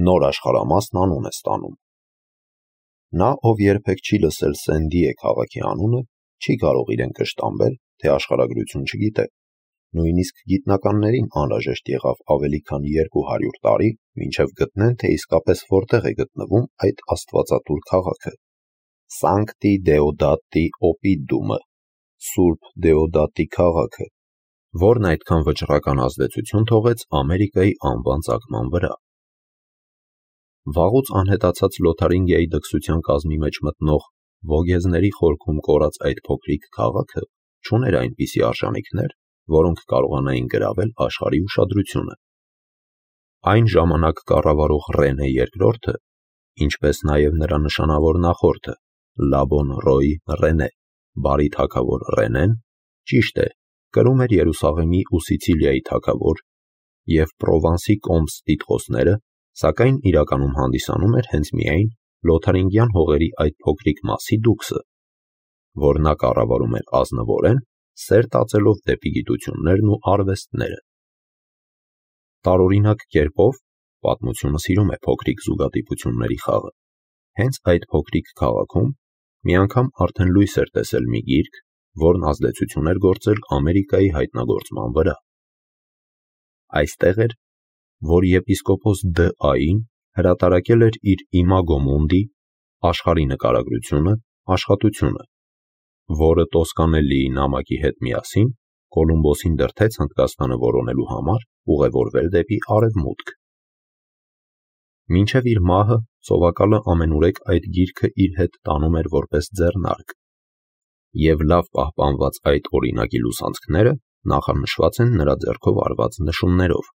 նոր աշխարհամասն անուն է ստանում։ Նա, ով երբեք չի լսել Սենդիե քաղաքի անունը, չի կարող իրեն կշտամբել, թե աշխարհագրություն չգիտե։ Նույնիսկ գիտնականներին անհրաժեշտ եղավ ավելի քան 200 տարի, մինչև գտնեն, թե իսկապես որտեղ է գտնվում այդ աստվածատուր քաղաքը։ Սանկտի Դեոդատի Օպիդումը, Սուրբ Դեոդատի քաղաքը, որն այդքան վճռական ազդեցություն թողեց Ամերիկայի անվան ծագման վրա։ Վաղուց անհետացած Լոթարինգիայի դքսության կազմի մեջ մտնող Վոգեզների խորքում կորած այդ փոքրիկ քաղաքը չուներ այնպիսի արժանինքներ, որոնք կարողանային գրավել աշխարհի ուշադրությունը։ Այն ժամանակ կառավարող Ռենե II-ը, ինչպես նաև նրա նշանավոր նախորդը Լաբոն Ռոյ Ռենե, բարի թագավոր Ռենեն, ճիշտ է, կրում էր Երուսաղեմի ու Սիցիլիայի թագավոր և Պրովանսի կոմս տիտղոսները, սակայն իրականում հանդիսանում էր հենց միայն Լոթարինգյան հողերի այդ փոքրիկ մասի դուքսը, որ նա կառավարում էր ազնվորեն, սեր տածելով դեպի գիտություններն ու արվեստները։ Տարօրինակ կերպով պատմությունը սիրում է փոքրիկ զուգադիպությունների խաղը։ Հենց այդ փոքրիկ քաղաքում մի անգամ արդեն լույս էր տեսել մի գիրք, որն ազդեցություն էր գործել Ամերիկայի հայտնագործման վրա։ Այստեղ էր, որ եպիսկոպոս Դ.Ա.-ին հրատարակել էր իր Իմագո Մունդի աշխարհի նկարագրությունը, աշխատությունը, որը Տոսկանելիի նամակի հետ միասին Կոլումբոսին դրդեց Հնդկաստանը որոնելու համար ուղևորվել դեպի արևմուտք։ Մինչև իր մահը սովակալը ամենուրեք այդ գիրքը իր հետ տանում էր որպես ձեռնարկ, և լավ պահպանված այդ օրինակի լուսանցքները նախանշված են նրա ձեռքով արված նշումներով։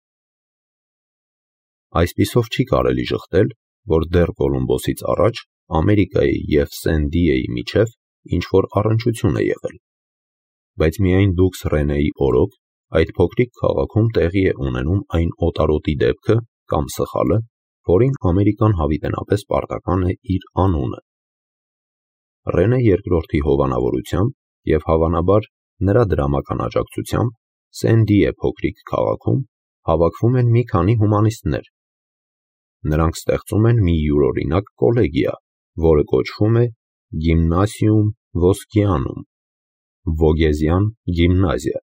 Այսպիսով չի կարելի ժխտել, որ դեռ Կոլումբոսից առաջ Ամերիկայի և Սենդիեի միջև ինչ-որ առնչություն է եղել։ Բայց միայն դուքս Ռենեի օրոք այդ փոքրիկ քաղաքում տեղի է ունենում այն օտարոտի դեպքը կամ սխալը, որին Ամերիկան հավիտենապես պարտական է իր անունը։ Ռենե II-ի հովանավորությամբ և հավանաբար նրա դրամական աջակցությամբ Սենդիե փոքրիկ քաղաքում հավաքվում են մի քանի հումանիստներ։ Նրանք ստեղծում են մի յուրօրինակ կոլեգիա, որը կոչվում է Գիմնասիում Ոսկիանum, Վոգեզյան գիմնազիա,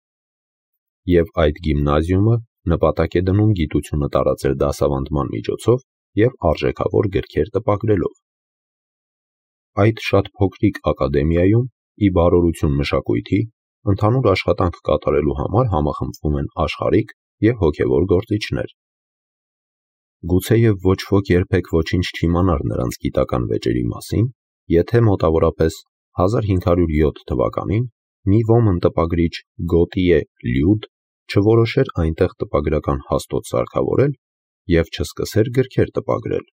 և այդ գիմնազիումը նպատակ է դնում գիտությունը տարածել դասավանդման միջոցով և արժեքավոր գրքեր տպագրելով։ Այդ շատ փոքրիկ ակադեմիայում, ի բարօրություն մշակույթի, ընդհանուր աշխատանք կատարելու համար համախմբվում են աշխարհիկ և հոգևոր գործիչներ։ Գուցեև ոչ ոք երբեք ոչինչ չիմանար նրանց գիտական վեճերի մասին, եթե մոտավորապես 1507 թվականին մի ոմն տպագրիչ Գոտիե Լյուդ չորոշեր այնտեղ տպագրական հաստոց սարքավորել և չսկսեր գրքեր տպագրել։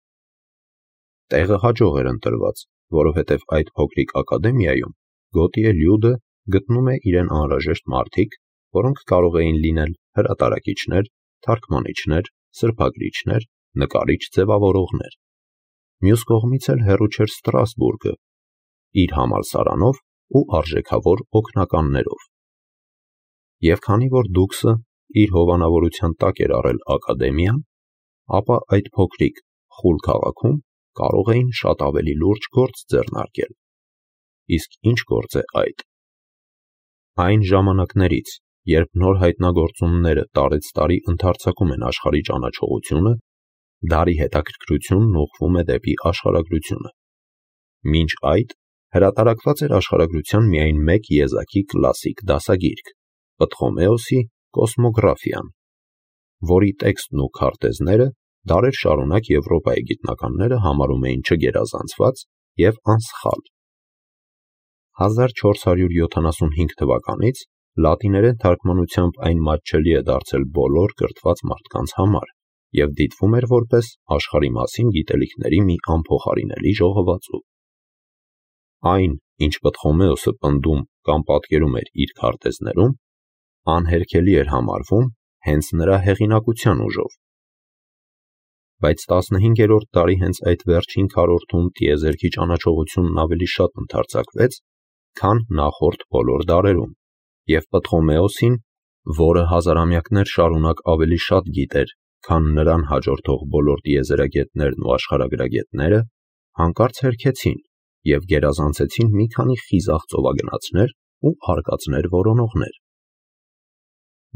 Տեղը հաջող էր ընտրված, որովհետև այդ փոքրիկ ակադեմիայում Գոտիե Լյուդը գտնում է իրեն անհրաժեշտ մարդիկ, որոնք կարող էին լինել հրատարակիչներ, թարգմանիչներ, սրբագրիչներ, նկարիչ-ձևավորողներ։ Մյուս կողմից էլ հեռու չէր Ստրասբուրգը, իր համալսարանով ու արժեքավոր օգնականներով։ Եվ քանի որ դուքսը իր հովանավորության տակ էր առել ակադեմիան, ապա այդ փոքրիկ խուլ քաղաքում կարող էին շատ ավելի լուրջ գործ ձեռնարկել։ Իսկ ինչ գործ է այդ։ Այն ժամանակներից, երբ նոր հայտնագործումները տարեցտարի ընդարձակում են աշխարհի ճանաչողությունը, դարի հետաքրքրությունն ուղղվում է դեպի աշխարհագրությունը։ Մինչ այդ հրատարակված էր աշխարհագրության միայն մեկ եզակի կլասիկ դասագիրք՝ Պտղոմեոսի Կոսմոգրաֆիան, որի տեքստն ու քարտեզները դարեր շարունակ Եվրոպայի գիտնականները համարում էին չգերազանցված և անսխալ։ 1475 թվականից լատիներեն թարգմանությամբ այն մատչելի է դարձել բոլոր կրթված մարդկանց համար և դիտվում էր որպես աշխարհի մասին գիտելիքների մի անփոխարինելի ժողովածու։ Այն, ինչ Պտղոմեոսը պնդում կամ պատկերում էր իր քարտեզներում, անհերքելի էր համարվում հենց նրա հեղինակության ուժով։ Բայց 15-րդ դարի հենց այդ վերջին քառորդում տիեզերքի ճանաչողությունն ավելի շատ ընդարձակվեց, քան նախորդ բոլոր դարերում, և Պտղոմեոսին, որը հազարամյակներ շարունակ ավելի շատ գիտեր քան նրան հաջորդող բոլոր տիեզերագետներն ու աշխարհագրագետները, հանկարծ հերքեցին և գերազանցեցին մի քանի խիզախ ծովագնացներ ու արկածներ որոնողներ։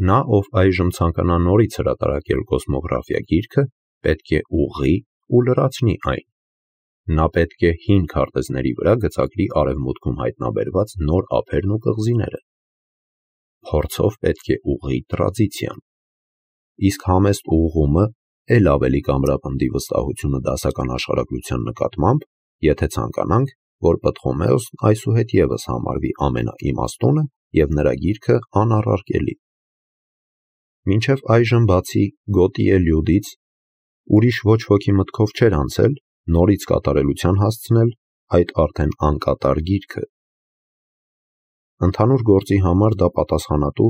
Նա, ով այժմ ցանկանա նորից հրատարակել կոսմոգրաֆիա գիրքը, պետք է ուղղի ու լրացնի այն։ Նա պետք է հին քարտեզների վրա գծագրի արևմուտքում հայտնաբերված նոր ափերն ու կղզիները։ Փորձով պետք է ուղղի տրադիցիան։ Իսկ համեստ ուղղումը էլ ավելի կամրապնդի վստահությունը դասական աշխարհագրության նկատմամբ, եթե ցանկանանք, որ Պտղոմեոսն այսուհետևս համարվի ամենաիմաստունը և նրա գիրքը անառարկելի։ Մինչև այժմ բացի Գոտիե Լյուդից ուրիշ ոչ ոքի մտքով չէր անցել նորից կատարելության հասցնել այդ արդեն անկատար գիրքը։ Ընդհանուր գործի համար դա պատասխանատու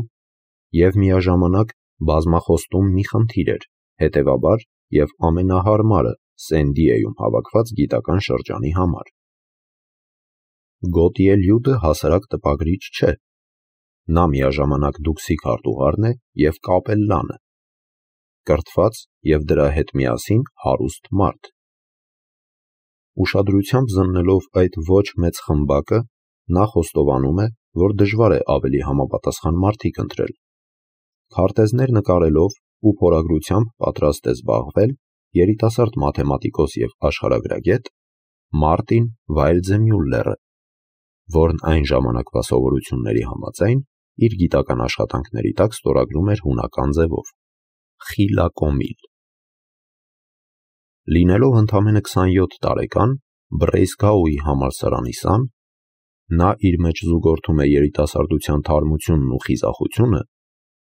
և միաժամանակ բազմախոստում մի խնդիր էր, հետևաբար և ամենահարմարը Սեն-Դիեգոյում հավաքված գիտական շրջանի համար։ Գոտիե Լյուդը հասարակ տպագրիչ չէ։ Նա միաժամանակ դուքսի քարտուղարն է և կապելլանը, կրթված և դրա հետ միասին հարուստ մարդ։ Ուշադրությամբ զննելով այդ ոչ մեծ խմբակը, նա խոստովանում է, որ դժվար է ավելի համապատասխան մարդիկ ընտրել։ Քարտեզներ նկարելով ու փորագրությամբ պատրաստ է զբաղվել երիտասարդ մաթեմատիկոս և աշխարհագրագետ Մարտին Վայլձեմյուլլերը, որն այն ժամանակվա սովորությունների համաձայն իր գիտական աշխատանքների տակ ստորագրում էր հունական ձևով՝ խիլակոմիլ։ Լինելով ընդամենը 27 տարեկան, Բրեյսգաուի համալսարանի սան, նա իր մեջ զուգորդում է երիտասարդության թարմությունն ու խիզախությունը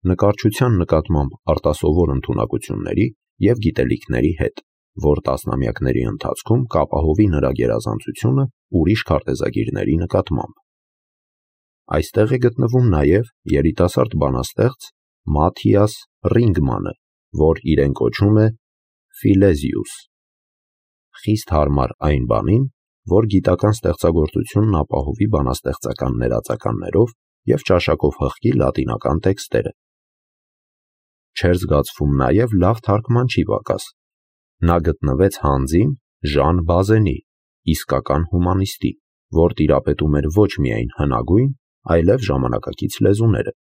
նկարչության նկատմամբ արտասովոր ընդունակությունների և գիտելիքների հետ, որ տասնամյակների ընթացքում կապահովի նրա գերազանցությունը ուրիշ քարտեզագիրների նկատմամբ։ Այստեղ է գտնվում նաև երիտասարդ բանաստեղծ Մաթիաս Ռինգմանը, որ իրեն կոչում է Ֆիլեզիուս, խիստ հարմար այն բանին, որ գիտական ստեղծագործությունն ապահովի բանաստեղծական ներածականներով և ճաշակով հղկի լատինական տեքստերը։ Չէր զգացվում նաև լավ թարգմանչի պակաս։ Նա գտնվեց հանձին Ժան Բազենի, իսկական հումանիստի, որ տիրապետում էր ոչ միայն հնագույն, այլև ժամանակակից լեզուները։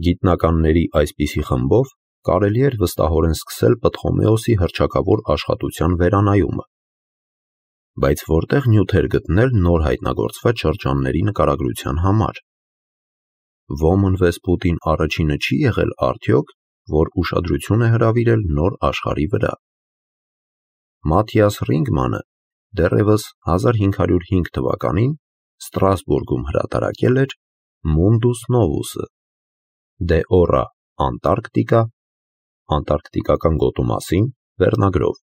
Գիտնականների այսպիսի խմբով կարելի էր վստահորեն սկսել Պտղոմեոսի հռչակավոր աշխատության վերանայումը։ Բայց որտեղ նյութեր գտնել նոր հայտնագործված շրջանների նկարագրության համար։ Ոմն Վեսպուտին առաջինը չի եղել արդյոք, որ ուշադրություն է հրավիրել նոր աշխարհի վրա։ Մաթիաս Ռինգմանը դեռևս 1505 թվականին Ստրասբուրգում հրատարակել էր Mundus Novus-ը, De Ora Antarctica անտարկտիկական գոտու մասին վերնագրով,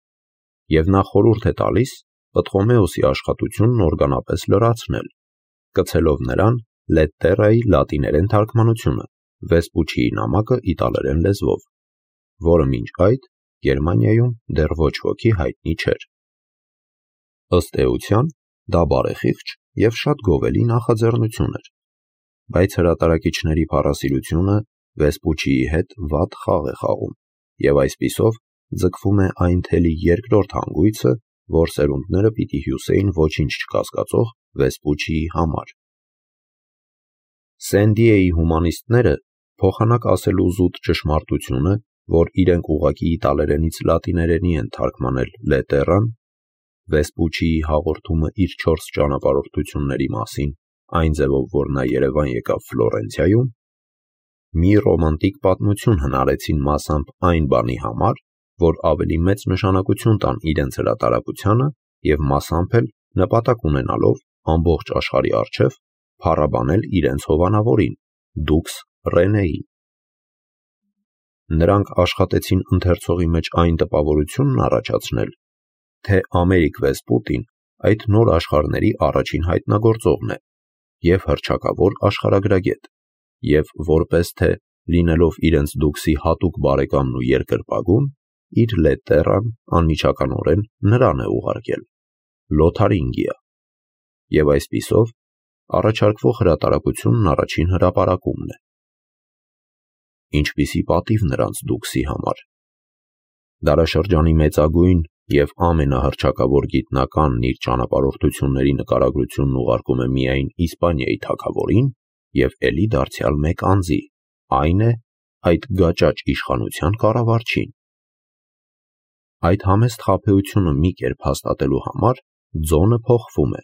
և նա խորհուրդ է տալիս Պտղոմեոսի աշխատությունն օրգանապես լրացնել, կցելով նրան Լետտերայի լատիներեն թարգմանությունը, Վեսպուչիի նամակը իտալերեն լեզվով, որը մինչ այդ Գերմանիայում դեռ ոչ ոքի հայտնի չէր։ Ըստ էության, դա բարեխիղճ և շատ գովելի նախաձեռնություն էր, բայց հրատարակիչների փառասիրությունը Վեսպուչիի հետ վատ խաղ է խաղում, և այսպիսով ձգվում է այն թելի երկրորդ հանգույցը, որ սերունդները պիտի հյուսեին ոչինչ չկասկածող Վեսպուչիի համար։ Սեն-Դիեգոյի հումանիստները փոխանակ ասելու զուտ ճշմարտությունը, որ իրենք ուղղակի իտալերենից լատիներենի են թարգմանել Լետտերան, Վեսպուչիի հաղորդումը իր 4 ճանապարհորդությունների մասին, այն ձևով, որ նա Երևան եկավ Ֆլորենցիայում, մի ռոմանտիկ պատմություն հնարեցին մասամբ այն բանի համար, որ ավելի մեծ նշանակություն տան իրենց հրատարակությանը և մասամբ էլ նպատակ ունենալով ամբողջ աշխարհի առջև փառաբանել իրենց հովանավորին՝ Դուքս Ռենեին։ Նրանք աշխատեցին ընթերցողի մեջ այն տպավորությունն առաջացնել, թե Ամերիկ Վեսպուտին այդ նոր աշխարհների առաջին հայտնագործողն է և հռչակավոր աշխարհագրագետ, և որպես թե լինելով իրենց դուքսի հատուկ բարեկամն ու երկրպագուն, իր Լետտերան անմիջականորեն նրան է ուղարկել, Լոթարինգիա, և այսպիսով առաջարկվող հրատարակությունն առաջին հրապարակումն է։ Ինչպիսի պատիվ նրանց դուքսի համար, Դարաշրջանի մեծագույն և ամենահռչակավոր գիտնականն իր ճանապարհորդությունների նկարագրությունն ուղարկում է միայն Իսպանիայի թագավորին և էլի դարձյալ մեկ անձի, այն է, այդ գաճաճ իշխանության կառավարչին։ Այդ համեստ խաբեությունը մի կերպ հաստատելու համար ձոնը փոխվում է։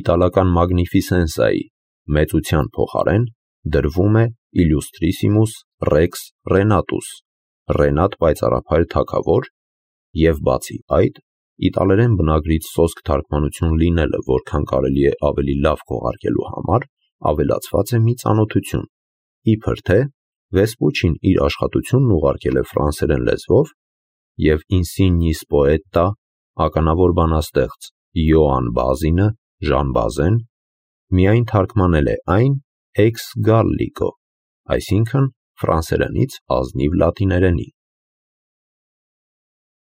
Իտալական Մագնիֆիսենսայի մեծության փոխարեն դրվում է Իլյուստրիսիմուս Ռեքս Ռենատուս, Ռենատ պայծառափայլ թագավոր, և բացի այդ, իտալերեն բնագրից սոսկ թարգմանություն լինելը որքան կարելի է ավելի լավ քողարկելու համար ավելացված է մի ծանոթություն, իբր թե Վեսպուչին իր աշխատությունն ուղարկել է ֆրանսերեն լեզվով և Ինսինյիս պոետտա ականավոր բանաստեղծ Յոան Բազինը Ժան Բազեն միայն թարգմանել է այն ex gallico, այսինքն ֆրանսերենից ազնիվ լատիներենի։